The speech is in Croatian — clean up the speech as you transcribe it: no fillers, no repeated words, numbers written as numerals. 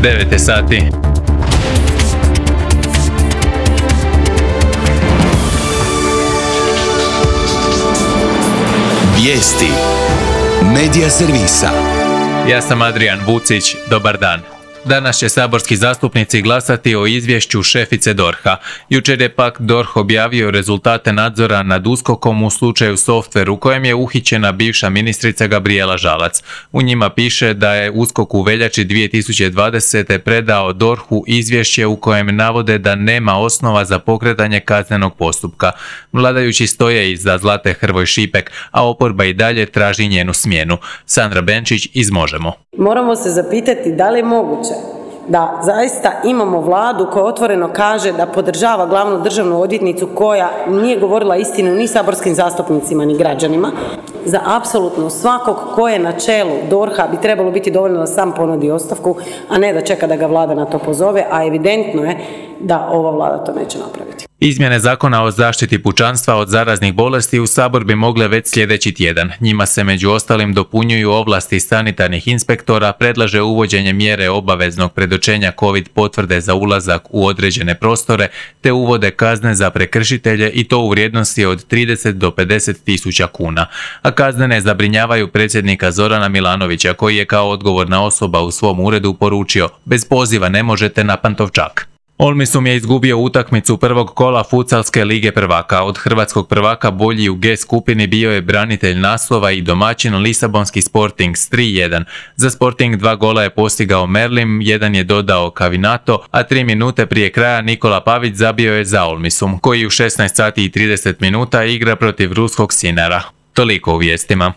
9 sati. Vijesti Medija servisa. Ja sam Adrian Vucić, dobar dan. Danas će saborski zastupnici glasati o izvješću šefice DORH-a. Jučer je pak DORH objavio rezultate nadzora nad USKOK-om u slučaju Softver u kojem je uhićena bivša ministrica Gabrijela Žalac. U njima piše da je USKOK u veljači 2020. predao DORH-u izvješće u kojem navode da nema osnova za pokretanje kaznenog postupka. Vladajući stoje iza Zlate Hrvoj Šipek, a oporba i dalje traži njenu smjenu. Sandra Benčić iz Možemo. Moramo se zapitati da li je moguće da zaista imamo vladu koja otvoreno kaže da podržava glavnu državnu odvjetnicu koja nije govorila istinu ni saborskim zastupnicima ni građanima. Za apsolutno svakog ko je na čelu DORH-a bi trebalo biti dovoljno da sam ponudi ostavku, a ne da čeka da ga vlada na to pozove, a evidentno je da ova vlada to neće napraviti. Izmjene zakona o zaštiti pučanstva od zaraznih bolesti u Sabor bi mogle već sljedeći tjedan. Njima se među ostalim dopunjuju ovlasti sanitarnih inspektora, predlaže uvođenje mjere obaveznog predočenja COVID potvrde za ulazak u određene prostore, te uvode kazne za prekršitelje i to u vrijednosti od 30 do 50 tisuća kuna. A kazne ne zabrinjavaju predsjednika Zorana Milanovića, koji je kao odgovorna osoba u svom uredu poručio: bez poziva ne možete na Pantovčak. Olmisum je izgubio utakmicu prvog kola Futsalske lige prvaka. Od hrvatskog prvaka bolji u G skupini bio je branitelj naslova i domaćin Lisabonski Sporting s 3-1. Za Sporting 2 gola je postigao Merlim, jedan je dodao Kavinato, a 3 minute prije kraja Nikola Pavić zabio je za Olmisum, koji u 16 sati i 30 minuta igra protiv ruskog Sinara. Toliko u vijestima.